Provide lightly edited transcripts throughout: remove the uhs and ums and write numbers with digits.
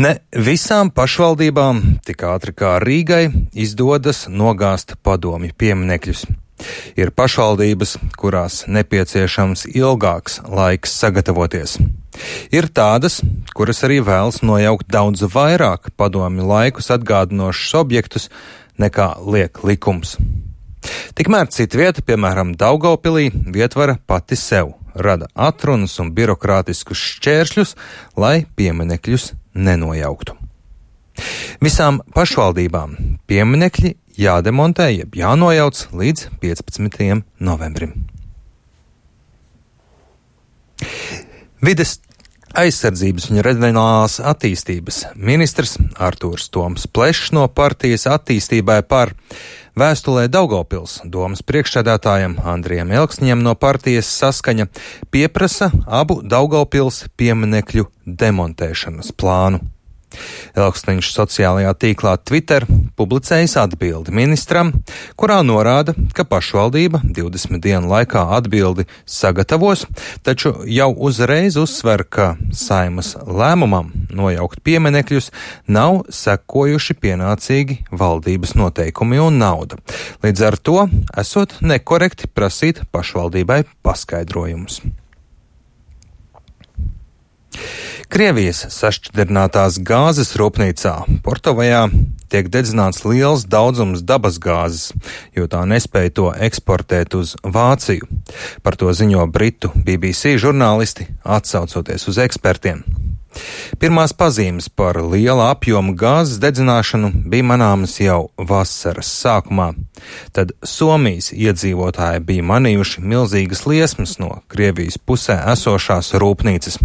Ne visām pašvaldībām tik ātri kā Rīgai izdodas nogāzt padomju pieminekļus. Ir pašvaldības, kurās nepieciešams ilgāks laiks sagatavoties. Ir tādas, kuras arī vēlas nojaukt daudz vairāk padomju laikus atgādinošus objektus, nekā liek likums. Tikmēr citvieta, piemēram, Daugavpilī, vietvara pati sev rada atrunas un birokrātiskus šķēršļus, lai pieminekļus nenojauktu. Visām pašvaldībām pieminekļi jādemontē, jeb jānojauc līdz 15. novembrim. Vides aizsardzības un reģionālās attīstības ministrs Artūrs Toms Plešs no partijas Attīstībai par vēstulē Daugavpils domas priekšsēdētājam Andrijam Elksniņam no partijas Saskaņa pieprasa abu Daugavpils pieminekļu demontēšanas plānu. Elksniņš sociālajā tīklā Twitter publicējis atbildi ministram, kurā norāda, ka pašvaldība 20 dienu laikā atbildi sagatavos, taču jau uzreiz uzsver, ka Saeimas lēmumam nojaukt pieminekļus nav sekojuši pienācīgi valdības noteikumi un nauda. Līdz ar to esot nekorekti prasīt pašvaldībai paskaidrojumus. Krievijas sašķidrinātās gāzes rūpnīcā Portovajā tiek dedzināts liels daudzums dabasgāzes, jo tā nespēja to eksportēt uz Vāciju. Par to ziņo britu BBC žurnālisti, atsaucoties uz ekspertiem. Pirmās pazīmes par liela apjoma gāzes dedzināšanu bija manāmas jau vasaras sākumā. Tad Somijas iedzīvotāji bija manījuši milzīgas liesmas no Krievijas pusē esošās rūpnīcas.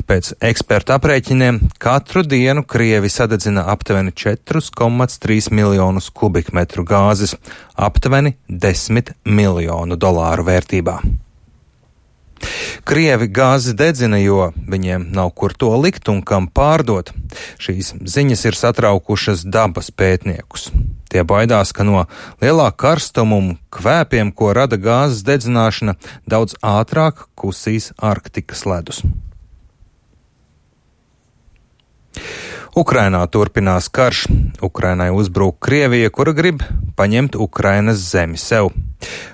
Pēc ekspertu aprēķiniem katru dienu Krievi sadedzina aptuveni 4,3 miljonus kubikmetru gāzes, aptuveni $10 miljonu vērtībā. Krievi gāzi dedzina, jo viņiem nav kur to likt un kam pārdot. Šīs ziņas ir satraukušas dabas pētniekus. Tie baidās, ka no lielā karstuma un kvēpiem, ko rada gāzes dedzināšana, daudz ātrāk kusīs Arktikas ledus. Ukrainā turpinās karš. Ukrainai uzbrūk Krievija, kura grib paņemt Ukrainas zemi sev.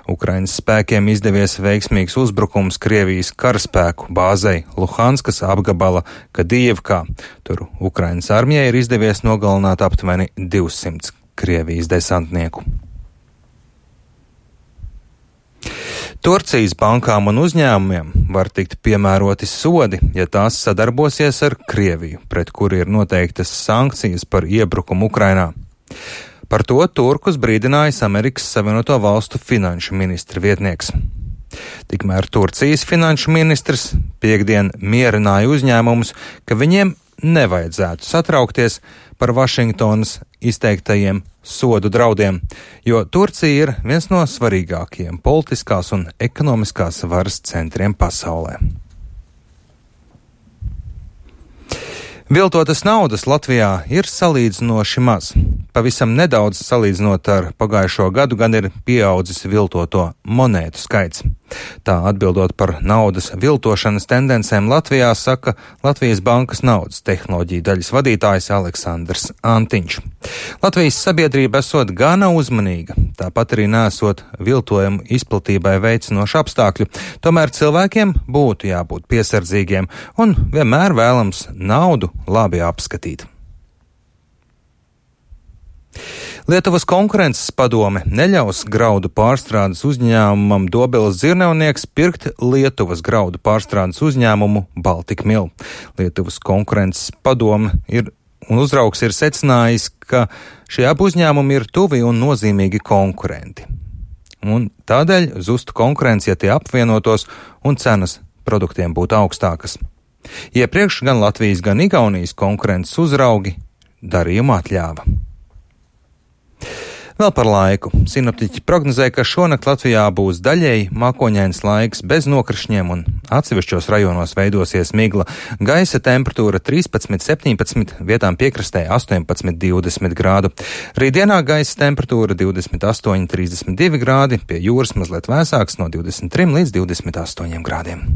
Ukrainas spēkiem izdevies veiksmīgs uzbrukums Krievijas karaspēku bāzei Luhanskas apgabala Kadijevkā. Tur Ukrainas armijai ir izdevies nogalināt aptuveni 200 Krievijas desantnieku. Turcijas bankām un uzņēmumiem var tikt piemēroti sodi, ja tās sadarbosies ar Krieviju, pret kuri ir noteiktas sankcijas par iebrukumu Ukrainā. Par to turkus brīdinājis Amerikas Savienoto Valstu finanšu ministra vietnieks. Tikmēr Turcijas finanšu ministrs piektdien mierināja uzņēmumus, ka viņiem nevajadzētu satraukties par Vašingtonas izteiktajiem sodu draudiem, jo Turcija ir viens no svarīgākajiem politiskās un ekonomiskās varas centriem pasaulē. Viltotas naudas Latvijā ir salīdzinoši maz. Pavisam nedaudz salīdzinot ar pagājušo gadu gan ir pieaudzis viltoto monētu skaits. Tā atbildot par naudas viltošanas tendencēm Latvijā, saka Latvijas Bankas naudas tehnoloģiju daļas vadītājs Aleksandrs Antiņš. Latvijas sabiedrība esot gana uzmanīga, tāpat arī nesot viltojumu izplatībai veicinošu apstākļu, tomēr cilvēkiem būtu jābūt piesardzīgiem un vienmēr vēlams naudu labi apskatīt. Lietuvas konkurences padome neļaus graudu pārstrādes uzņēmumam Dobeles Dzirnavnieks pirkt Lietuvas graudu pārstrādes uzņēmumu Baltic Mill. Lietuvas konkurences padome un uzraugs ir secinājis, ka šie abi uzņēmumi ir tuvi un nozīmīgi konkurenti. Un tādēļ zustu konkurence, ja tie apvienotos un cenas produktiem būtu augstākas. Iepriekš gan Latvijas, gan Igaunijas konkurences uzraugi darījumu atļāva. Vēl par laiku. Sinoptiķi prognozē, ka šonakt Latvijā būs daļēji mākoņains laiks bez nokrišņiem un atsevišķos rajonos veidosies migla. Gaisa temperatūra 13-17, vietām piekrastē 18-20 grādu. Rītdienā gaisa temperatūra 28-32 grādi, pie jūras mazliet vēsāks no 23 līdz 28 grādiem.